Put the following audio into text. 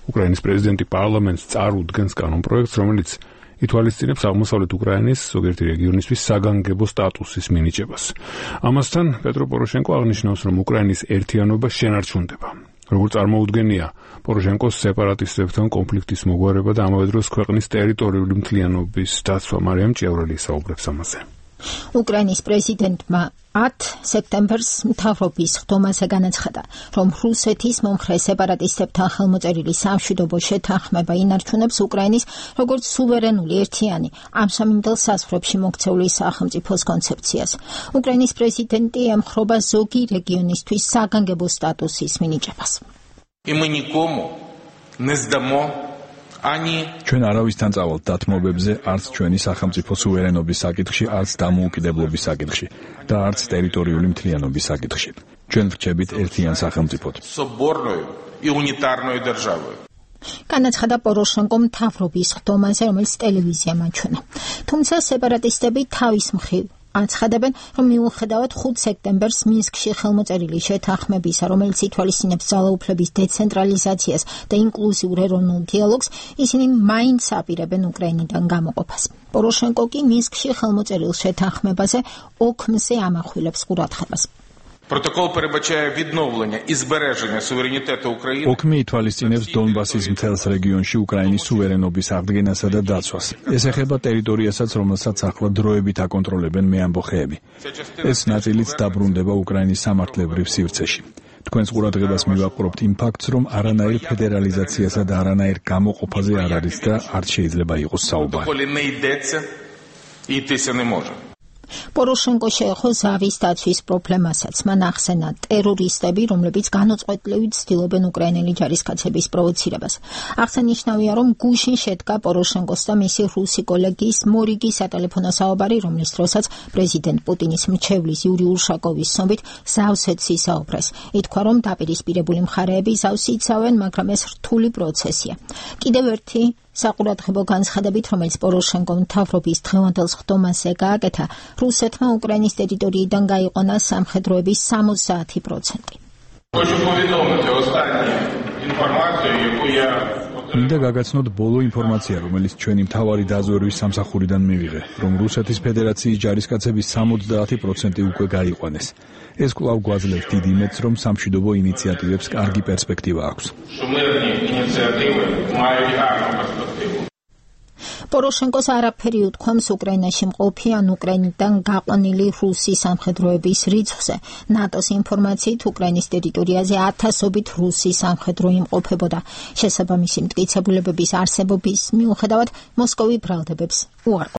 უკრაინის პრეზიდენტი პარლამენტს წარუდგენს კანონპროექტს, რომელიც ითვალისწინებს აღმოსავლეთ უკრაინის ზოგიერთი რეგიონისთვის საგანგებო სტატუსის მინიჭებას. ამასთან პეტრო პოროშენკო აღნიშნავს, რომ უკრაინის ერთიანობა შენარჩუნდება. როგორც წარმოუდგენია პოროშენკოს სეპარატისტებთან კონფლიქტის მოგვარება და ამავე დროს ქვეყნის ტერიტორიული მთლიანობის დაცვა. მარიამ ჭიაურელი საუბრობს ამაზე. უკრაინის პრეზიდენტმა 10 სექტემბერს მთავრობის ხდომაზე განაცხადა, რომ რუსეთის მომხრე სეპარატისტებთან ხელმოწერილი სამშვიდობო შეთანხმება ინარჩუნებს უკრაინის როგორც სუვერენული ერთიანი ამჟამინდელ საზღვრებში მოქცეული სახელმწიფოს კონცეფციას. უკრაინის პრეზიდენტი ემხრობა ზოგი რეგიონისთვის საგანგებო სტატუსის მინიჭებას. ჩვენ არავისთან წავალთ დათმობებზე, არც ჩვენი სახელმწიფო სუვერენობის საკითხში, არც დამოუკიდებლობის საკითხში და არც ტერიტორიული მთლიანობის საკითხში. ჩვენ ვრჩებით ერთიან სახელმწიფოდ. განაცხადა პოროშენკო მთავრობის ხდომაზე, რომელიც ტელევიზიამ აჩვენა. თუმცა სეპარატისტები თავის მხრივ აცხადებენ, რომ მიუხედავად 5 სექტემბერს მინსკში ხელმოწერილი შეთანხმებისა, რომელიც ითვალისწინებს ძალაუფლების დეცენტრალიზაციას და ინკლუზიურ ეროვნულ დიალოგს, ისინი მაინც აპირებენ უკრაინიდან გამოყოფას. პოროშენკო კი მინსკში ხელმოწერილ შეთანხმებაზე ოქმზე ამახვილებს ყურადღებას. ოქმი ითვალისწინებს დონბასის მთელს რეგიონში უკრაინის სუვერენობის აღდგენასა და დაცვას. ეს ეხება ტერიტორიასაც, რომელსაც ახლა დროებით აკონტროლებენ მეამბოხეები. ეს ნაწილიც დაბრუნდება უკრაინის სამართლებრივ სივრცეში. თქვენს ყურადღებას მივაყვრობთ იმ ფაქტს, რომ არანაირ ფედერალიზაციასა და არანაირ გამოყოფაზე არ არის და არც შეიძლება იყოს საუბარი. პოროშენკო შეეხო ზავის დაცვის პრობლემასაც. მან ახსენა ტერორისტები, რომლებიც განუწყვეტლივით ცდილობენ უკრაინელი ჯარისკაცების პროვოცირებას. აღსანიშნავია, რომ გუშინ შედგა პოროშენკოს და მისი რუსი კოლეგის მორიგი სატელეფონო საუბარი, რომლის დროსაც პრეზიდენტ პუტინის მრჩევლის იური უშაკოვის ცნობით ზავზეც ისაუბრეს. ითქვა, რომ დაპირისპირებული მხარეები ზავს იცავენ, მაგრამ ეს რთული პროცესია. კიდევ ერთი საყურადღებო განცხადებით, რომელიც პოროშენკომ მთავრობის დღევანდელ ხდომაზე გააკეთა, რუსეთმა უკრაინის ტერიტორიიდან გაიყონა სამხედროების 60%. მინდა გაგაცნოთ ბოლო ინფორმაცია, რომელიც ჩვენი მთავარი დაზვერვის სამსახურიდან მივიღე, რომ რუსეთის ფედერაციის ჯარისკაცების 70% უკვე გაიყვანეს. ეს კვლავ გვაძლევს დიდ იმედს, რომ სამშვიდობო ინიციატივებს კარგი პერსპექტივა აქვს. პოროშენკოს არაფერი უთქვამს უკრაინაში მყოფი ან უკრაინიდან გაყვანილი რუსი სამხედროების რიცხვზე. ნატოს ინფორმაციით უკრაინის ტერიტორიაზე 1000-ობით რუსი სამხედრო იმყოფებოდა. შესაბამისი მტკიცებულებების არსებობის მიუხედავად მოსკოვი ბრალდებებს უარყოფს.